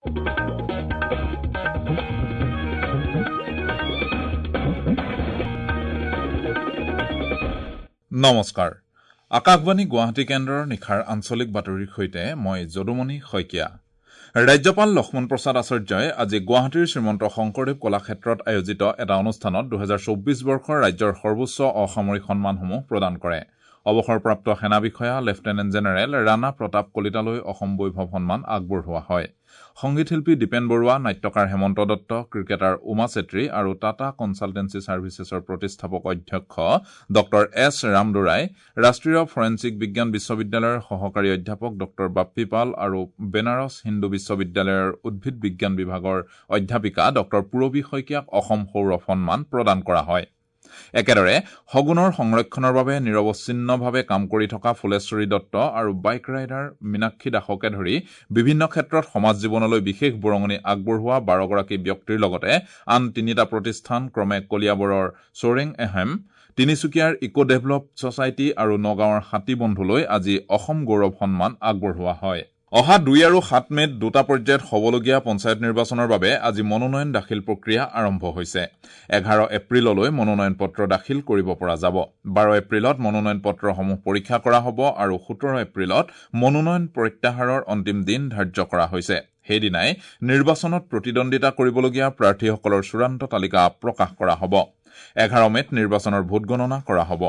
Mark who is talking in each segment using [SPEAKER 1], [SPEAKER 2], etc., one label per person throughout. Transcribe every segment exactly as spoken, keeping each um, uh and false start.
[SPEAKER 1] নমস্কাৰ, আকাশবাণী গুৱাহাটী কেন্দ্ৰৰ নিশাৰ আঞ্চলিক বাতৰিৰ সৈতে মই যদুমণি শইকীয়া। ৰাজ্যপাল লক্ষ্মণ প্ৰসাদ আচাৰ্যই আজি গুৱাহাটীৰ শ্ৰীমন্ত শংকৰদেৱ কলাক্ষেত্ৰত আয়োজিত এটা অনুষ্ঠানত দুহেজাৰ চৌব্বিছ বৰ্ষৰ ৰাজ্যৰ সৰ্বোচ্চ অসামৰিক সন্মানসমূহ প্ৰদান কৰে। অৱসৰপ্ৰাপ্ত সেনা বিষয়া লেফটেনেণ্ট জেনেৰেল ৰাণা প্ৰতাপ কলিতালৈ অসম বৈভৱ সন্মান আগবঢ়োৱা হয়। সংগীত শিল্পী দীপেন বৰুৱা, নাট্যকাৰ হেমন্ত দত্ত, ক্ৰিকেটাৰ উমা চেত্ৰী আৰু টাটা কনচালটেঞ্চি ছাৰ্ভিচেছৰ প্ৰতিষ্ঠাপক অধ্যক্ষ ডক্টৰ এছ ৰামদোৰাই, ৰাষ্ট্ৰীয় ফৰেনছিক বিজ্ঞান বিশ্ববিদ্যালয়ৰ সহকাৰী অধ্যাপক ডক্টৰ বাপ্পী পাল আৰু বেনাৰস হিন্দু বিশ্ববিদ্যালয়ৰ উদ্ভিদ বিজ্ঞান বিভাগৰ অধ্যাপিকা ডক্টৰ পূৰবী শইকীয়াক অসম সৌৰভ সন্মান প্ৰদান কৰা হয়। একেদৰে শগুনৰ সংৰক্ষণৰ বাবে নিৰৱচ্ছিন্নভাৱে কাম কৰি থকা ফুলেশ্বৰী দত্ত আৰু বাইক ৰাইডাৰ মীনাক্ষী দাসকে ধৰি বিভিন্ন ক্ষেত্ৰত সমাজ জীৱনলৈ বিশেষ বৰঙণি আগবঢ়োৱা বাৰগৰাকী ব্যক্তিৰ লগতে আন তিনিটা প্ৰতিষ্ঠান ক্ৰমে কলিয়াবৰৰ চোৰেং এহেম, তিনিচুকীয়াৰ ইক' ডেভেলপ ছচাইটি আৰু নগাঁৱৰ হাতী বন্ধুলৈ আজি অসম গৌৰৱ সন্মান আগবঢ়োৱা হয়। অহা দুই আৰু সাত মে'ত দুটা পৰ্যায়ত হ'বলগীয়া পঞ্চায়ত নিৰ্বাচনৰ বাবে আজি মনোনয়ন দাখিল প্ৰক্ৰিয়া আৰম্ভ হৈছে। এঘাৰ এপ্ৰিললৈ মনোনয়ন পত্ৰ দাখিল কৰিব পৰা যাব। বাৰ এপ্ৰিলত মনোনয়ন পত্ৰসমূহ পৰীক্ষা কৰা হ'ব আৰু সোতৰ এপ্ৰিলত মনোনয়ন প্ৰত্যাহাৰৰ অন্তিম দিন ধাৰ্য কৰা হৈছে। সেইদিনাই নিৰ্বাচনত প্ৰতিদ্বন্দ্বিতা কৰিবলগীয়া প্ৰাৰ্থীসকলৰ চূড়ান্ত তালিকা প্ৰকাশ কৰা হ'ব। এঘাৰ মে'ত নিৰ্বাচনৰ ভোটগণনা কৰা হ'ব।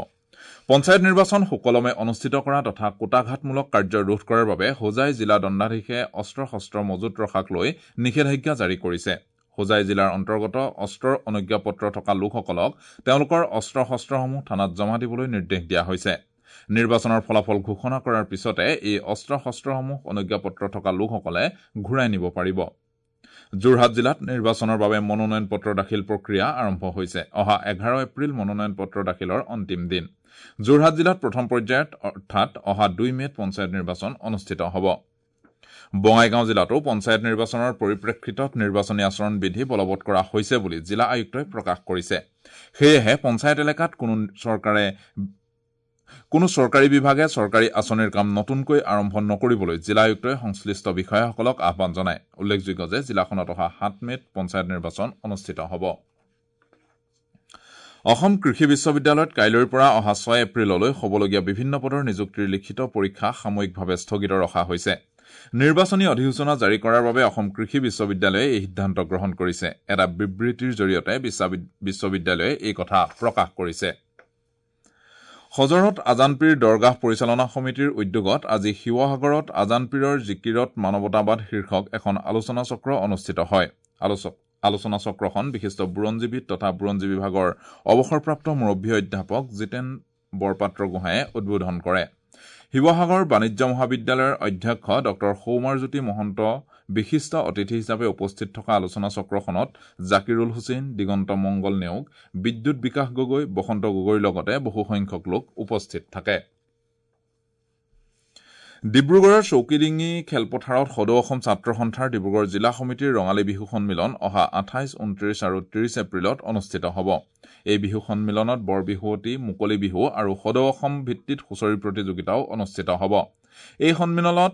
[SPEAKER 1] পঞ্চায়ত নিৰ্বাচন সুকলমে অনুষ্ঠিত কৰা তথা কূটাঘাতমূলক কাৰ্য ৰোধ কৰাৰ বাবে হোজাই জিলা দণ্ডাধীশে অস্ত্ৰ শস্ত্ৰ মজুত ৰখাক লৈ নিষেধাজ্ঞা জাৰি কৰিছে। হোজাই জিলাৰ অন্তৰ্গত অস্ত্ৰৰ অনুজ্ঞাপত্ৰ থকা লোকসকলক তেওঁলোকৰ অস্ত্ৰ শস্ত্ৰসমূহ থানাত জমা দিবলৈ নিৰ্দেশ দিয়া হৈছে। নিৰ্বাচনৰ ফলাফল ঘোষণা কৰাৰ পিছতে এই অস্ত্ৰ শস্ত্ৰসমূহ অনুজ্ঞাপত্ৰ থকা লোকসকলে ঘূৰাই নিব পাৰিব। যোৰহাট জিলাত নিৰ্বাচনৰ বাবে মনোনয়ন পত্ৰ দাখিল প্ৰক্ৰিয়া আৰম্ভ হৈছে। অহা এঘাৰ এপ্ৰিল মনোনয়ন পত্ৰ দাখিলৰ অন্তিম দিন। যোৰহাট জিলাত প্ৰথম পৰ্যায়ত অৰ্থাৎ অহা দুই মে'ত পঞ্চায়ত নিৰ্বাচন অনুষ্ঠিত হ'ব। বঙাইগাঁও জিলাতো পঞ্চায়ত নিৰ্বাচনৰ পৰিপ্ৰেক্ষিতত নিৰ্বাচনী আচৰণ বিধি বলবৎ কৰা হৈছে বুলি জিলা আয়ুক্তই প্ৰকাশ কৰিছে। সেয়েহে পঞ্চায়ত এলেকাত কোনো চৰকাৰে কোনো চৰকাৰী বিভাগে চৰকাৰী আঁচনিৰ কাম নতুনকৈ আৰম্ভ নকৰিবলৈ জিলা আয়ুক্তই সংশ্লিষ্ট বিষয়াসকলক আহ্বান জনায়। উল্লেখযোগ্য যে জিলাখনত অহা সাত মে'ত পঞ্চায়ত নিৰ্বাচন অনুষ্ঠিত হ'ব। অসম কৃষি বিশ্ববিদ্যালয়ত কাইলৈৰ পৰা অহা ছয় এপ্ৰিললৈ হ'বলগীয়া বিভিন্ন পদৰ নিযুক্তিৰ লিখিত পৰীক্ষা সাময়িকভাৱে স্থগিত ৰখা হৈছে। নিৰ্বাচনী অধিসূচনা জাৰি কৰাৰ বাবে অসম কৃষি বিশ্ববিদ্যালয়ে এই সিদ্ধান্ত গ্ৰহণ কৰিছে। এটা বিবৃতিৰ জৰিয়তে বিশ্ববিদ্যালয়ে এই কথা প্ৰকাশ কৰিছে। হজৰত আজানপীৰ দৰগাহ পৰিচালনা সমিতিৰ উদ্যোগত আজি শিৱসাগৰত আজানপীৰৰ জিকিৰত মানৱতাবাদ শীৰ্ষক এখন আলোচনা চক্ৰ অনুষ্ঠিত হয়। আলোচক আলোচনা চক্ৰখন বিশিষ্ট বুৰঞ্জীবিদ তথা বুৰঞ্জী বিভাগৰ অৱসৰপ্ৰাপ্ত মুৰব্বী অধ্যাপক জিতেন বৰপাত্ৰ গোহাঁয়ে উদ্বোধন কৰে। শিৱসাগৰ বাণিজ্য মহাবিদ্যালয়ৰ অধ্যক্ষ ডক্টৰ সৌমাৰজ্যোতি মহন্ত বিশিষ্ট অতিথি হিচাপে উপস্থিত থকা আলোচনা চক্ৰখনত জাকিৰুল হুছেইন, দিগন্ত মংগল নেওগ, বিদ্যুৎ বিকাশ গগৈ, বসন্ত গগৈৰ লগতে বহুসংখ্যক লোক উপস্থিত থাকে। ডিব্ৰুগড়ৰ চৌকিডিঙি খেলপথাৰত সদৌ অসম ছাত্ৰ সন্থাৰ ডিব্ৰুগড় জিলা সমিতিৰ ৰঙালী বিহু সন্মিলন অহা আঠাইছ, ঊনত্ৰিছ আৰু ত্ৰিছ এপ্ৰিলত অনুষ্ঠিত হ'ব। এই বিহু সন্মিলনত বৰ বিহুৱতী, মুকলি বিহু আৰু সদৌ অসম ভিত্তিত হুঁচৰি প্ৰতিযোগিতাও অনুষ্ঠিত হ'ব। এই সন্মিলনত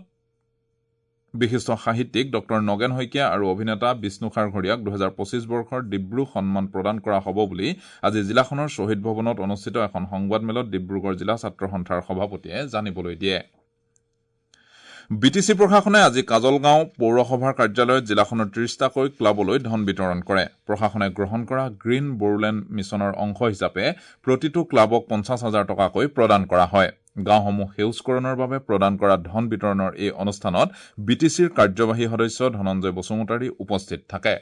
[SPEAKER 1] বিশিষ্ট সাহিত্যিক ডক্টৰ নগেন শইকীয়া আৰু অভিনেতা বিষ্ণু খাৰঘৰীয়াক দুহেজাৰ পঁচিছ বৰ্ষৰ ডিব্ৰু সন্মান প্ৰদান কৰা হ'ব বুলি আজি জিলাখনৰ শ্বহীদ ভৱনত অনুষ্ঠিত এখন সংবাদমেলত ডিব্ৰুগড় জিলা ছাত্ৰ সন্থাৰ সভাপতিয়ে জানিবলৈ দিয়ে। বি টি চি প্ৰশাসনে আজি কাজলগাঁও পৌৰসভাৰ কাৰ্যালয়ত জিলাখনৰ ত্ৰিশটাকৈ ক্লাবলৈ ধন বিতৰণ কৰে। প্ৰশাসনে গ্ৰহণ কৰা গ্ৰীণ বড়োলেণ্ড মিছনৰ অংশ হিচাপে প্ৰতিটো ক্লাবক পঞ্চাছ হাজাৰ টকাকৈ প্ৰদান কৰা হয়। গাঁওসমূহ সেউজকৰণৰ বাবে প্ৰদান কৰা ধন বিতৰণৰ এই অনুষ্ঠানত বি টি চিৰ কাৰ্যবাহী সদস্য ধনঞ্জয় বসুমতাৰী উপস্থিত থাকে।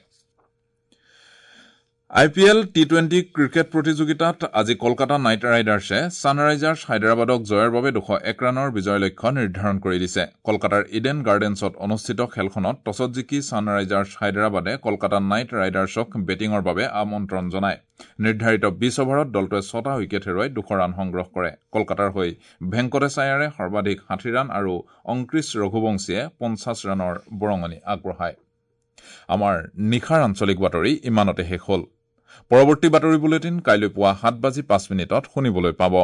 [SPEAKER 1] I P L T twenty cricket প্ৰতিযোগিতাত আজি কলকাতা নাইট ৰাইডাৰ্ছে ছানৰাইজাৰ্ছ হায়দৰাবাদক জয়ৰ বাবে দুশ এক ৰানৰ বিজয় লক্ষ্য নিৰ্ধাৰণ কৰি দিছে। কলকাতাৰ ইডেন গাৰ্ডেন্সত অনুষ্ঠিত খেলখনত টছত জিকি ছানৰাইজাৰ্ছ হায়দৰাবাদে কলকাতা নাইট ৰাইডাৰ্ছক বেটিঙৰ বাবে আমন্ত্ৰণ জনায়। নিৰ্ধাৰিত বিশ অভাৰত দলটোৱে ছটা উইকেট হেৰুৱাই দুশ ৰান সংগ্ৰহ কৰে। কলকাতাৰ হৈ ভেংকটেশ আয়াৰে সৰ্বাধিক ষাঠি ৰান আৰু অংক্ৰিছ ৰঘুবংশীয়ে পঞ্চাছ ৰানৰ বৰঙণি আগবঢ়ায়। আমাৰ নিশাৰ আঞ্চলিক বাতৰি ইমানতে শেষ হ'ল। পৰৱৰ্তী বাতৰি বুলেটিন কাইলৈ পুৱা সাত বাজি পাঁচ মিনিটত শুনিবলৈ পাব।